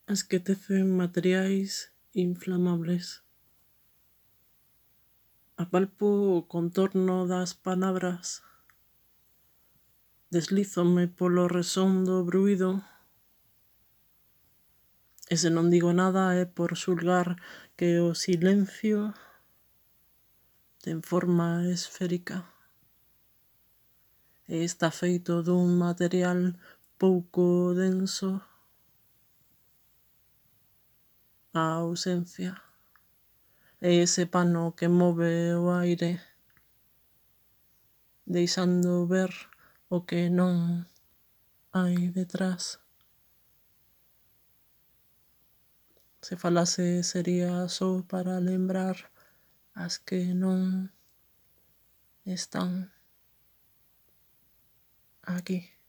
Esquececen materiais inflamables. Apalpo o contorno das palabras, deslízome polo resondo bruído, e se non digo nada é por xulgar que o silencio ten forma esférica e está feito dun material pouco denso, a ausencia. É ese pano que move o aire, deixando ver o que non hai detrás. Se falase sería só para lembrar as que non están aquí.